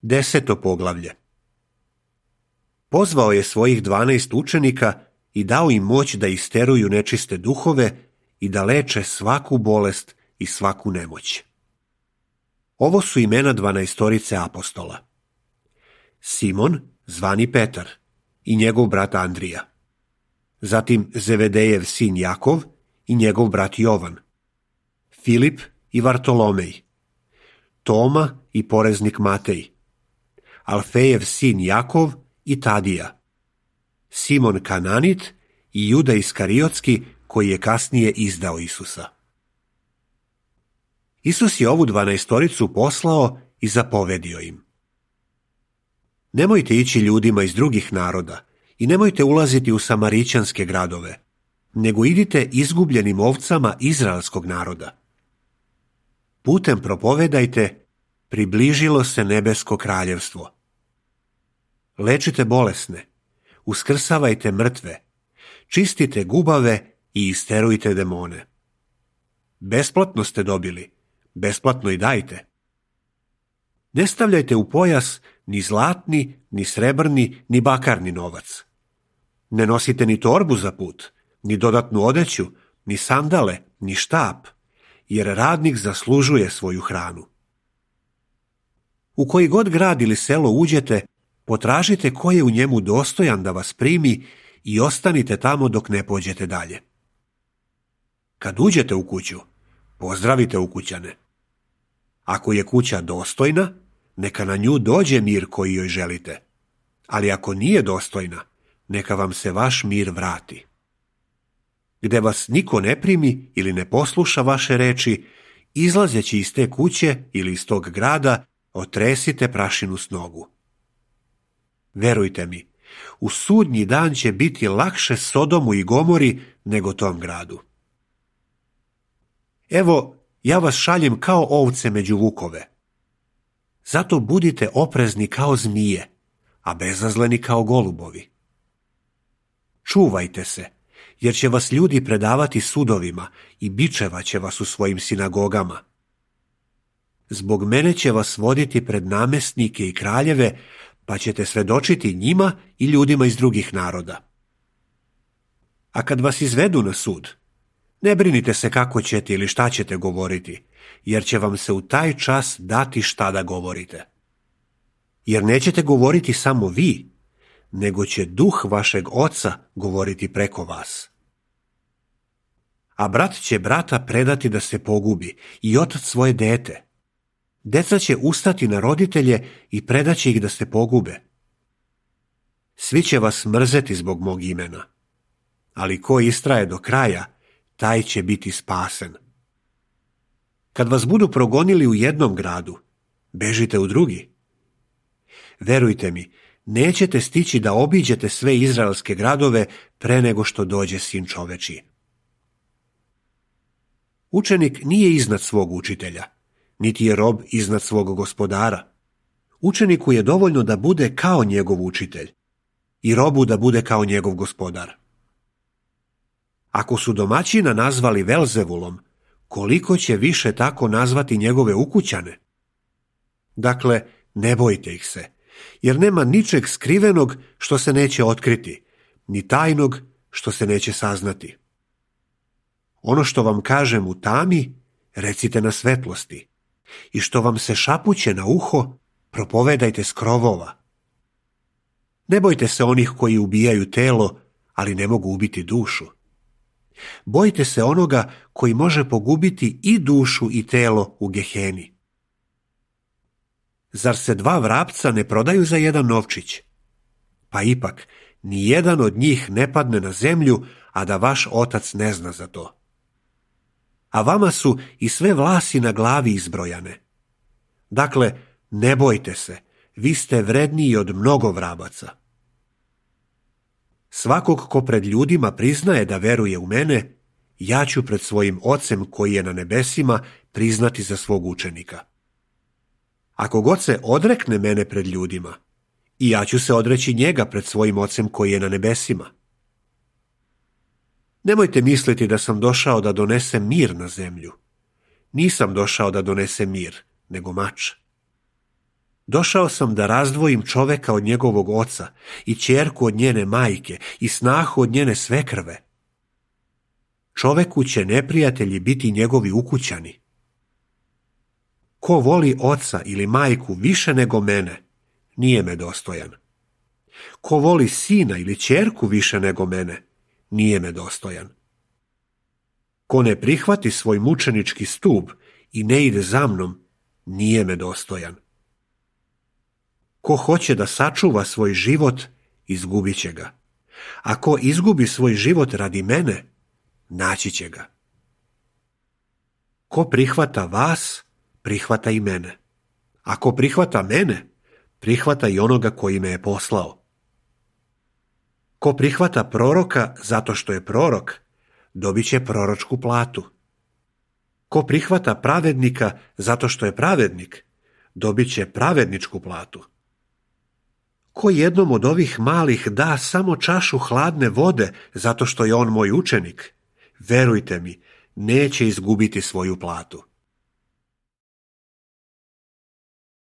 10. poglavlje. Pozvao je svojih 12 učenika i dao im moć da isteruju nečiste duhove i da leče svaku bolest i svaku nemoć. Ovo su imena 12 apostola. Simon, zvani Petar, i njegov brat Andrija. Zatim Zevedejev sin Jakov i njegov brat Jovan. Filip i Vartolomej. Toma i poreznik Matej. Alfejev sin Jakov i Tadija. Simon Kananit i Juda Iskariotski, koji je kasnije izdao Isusa. Isus je ovu 12 poslao i zapovedio im: nemojte ići ljudima iz drugih naroda i nemojte ulaziti u samarićanske gradove, nego idite izgubljenim ovcama izraelskog naroda. Putem propovedajte: približilo se nebesko kraljevstvo. Lečite bolesne, uskrsavajte mrtve, čistite gubave i isterujte demone. Besplatno ste dobili, besplatno i dajte. Ne stavljajte u pojas ni zlatni, ni srebrni, ni bakarni novac. Ne nosite ni torbu za put, ni dodatnu odeću, ni sandale, ni štap, jer radnik zaslužuje svoju hranu. U koji god grad ili selo uđete, potražite ko je u njemu dostojan da vas primi i ostanite tamo dok ne pođete dalje. Kad uđete u kuću, pozdravite ukućane. Ako je kuća dostojna, neka na nju dođe mir koji joj želite, ali ako nije dostojna, neka vam se vaš mir vrati. Gde vas niko ne primi ili ne posluša vaše reči, izlazeći iz te kuće ili iz tog grada, otresite prašinu s nogu. Verujte mi, u sudnji dan će biti lakše Sodomu i Gomori nego tom gradu. Evo, ja vas šaljem kao ovce među vukove. Zato budite oprezni kao zmije, a bezazleni kao golubovi. Čuvajte se, jer će vas ljudi predavati sudovima i bičevaće vas u svojim sinagogama. Zbog mene će vas voditi pred namesnike i kraljeve, pa ćete svedočiti njima i ljudima iz drugih naroda. A kad vas izvedu na sud, ne brinite se kako ćete ili šta ćete govoriti, jer će vam se u taj čas dati šta da govorite. Jer nećete govoriti samo vi, nego će duh vašeg oca govoriti preko vas. A brat će brata predati da se pogubi i otac svoje dete. Deca će ustati na roditelje i predaće ih da se pogube. Svi će vas mrzeti zbog mog imena, ali ko istraje do kraja, taj će biti spasen. Kad vas budu progonili u jednom gradu, bežite u drugi. Verujte mi, nećete stići da obiđete sve izraelske gradove pre nego što dođe Sin čovečiji. Učenik nije iznad svog učitelja, niti je rob iznad svog gospodara. Učeniku je dovoljno da bude kao njegov učitelj i robu da bude kao njegov gospodar. Ako su domaćina nazvali Velzevulom, koliko će više tako nazvati njegove ukućane? Dakle, ne bojte ih se, jer nema ničeg skrivenog što se neće otkriti, ni tajnog što se neće saznati. Ono što vam kažem u tami, recite na svetlosti, i što vam se šapuće na uho, propovedajte s krovova. Ne bojte se onih koji ubijaju telo, ali ne mogu ubiti dušu. Bojte se onoga koji može pogubiti i dušu i telo u Geheni. Zar se 2 vrapca ne prodaju za 1 novčić? Pa ipak, ni jedan od njih ne padne na zemlju, a da vaš otac ne zna za to. A vama su i sve vlasi na glavi izbrojane. Dakle, ne bojte se, vi ste vredniji od mnogo vrabaca. Svakog ko pred ljudima priznaje da veruje u mene, ja ću pred svojim Ocem koji je na nebesima priznati za svog učenika. Ako god se odrekne mene pred ljudima, i ja ću se odreći njega pred svojim Ocem koji je na nebesima. Nemojte misliti da sam došao da donesem mir na zemlju. Nisam došao da donesem mir, nego mač. Došao sam da razdvojim čoveka od njegovog oca i ćerku od njene majke i snahu od njene svekrve. Čoveku će neprijatelji biti njegovi ukućani. Ko voli oca ili majku više nego mene, nije me dostojan. Ko voli sina ili ćerku više nego mene, nije me dostojan. Ko ne prihvati svoj mučenički stup i ne ide za mnom, nije me dostojan. Ko hoće da sačuva svoj život, izgubit će ga. A ko izgubi svoj život radi mene, naći će ga. Ko prihvata vas, prihvata i mene. A ko prihvata mene, prihvata i onoga koji me je poslao. Ko prihvata proroka zato što je prorok, dobit će proročku platu. Ko prihvata pravednika zato što je pravednik, dobit će pravedničku platu. Ko jednom od ovih malih da samo čašu hladne vode zato što je on moj učenik, verujte mi, neće izgubiti svoju platu.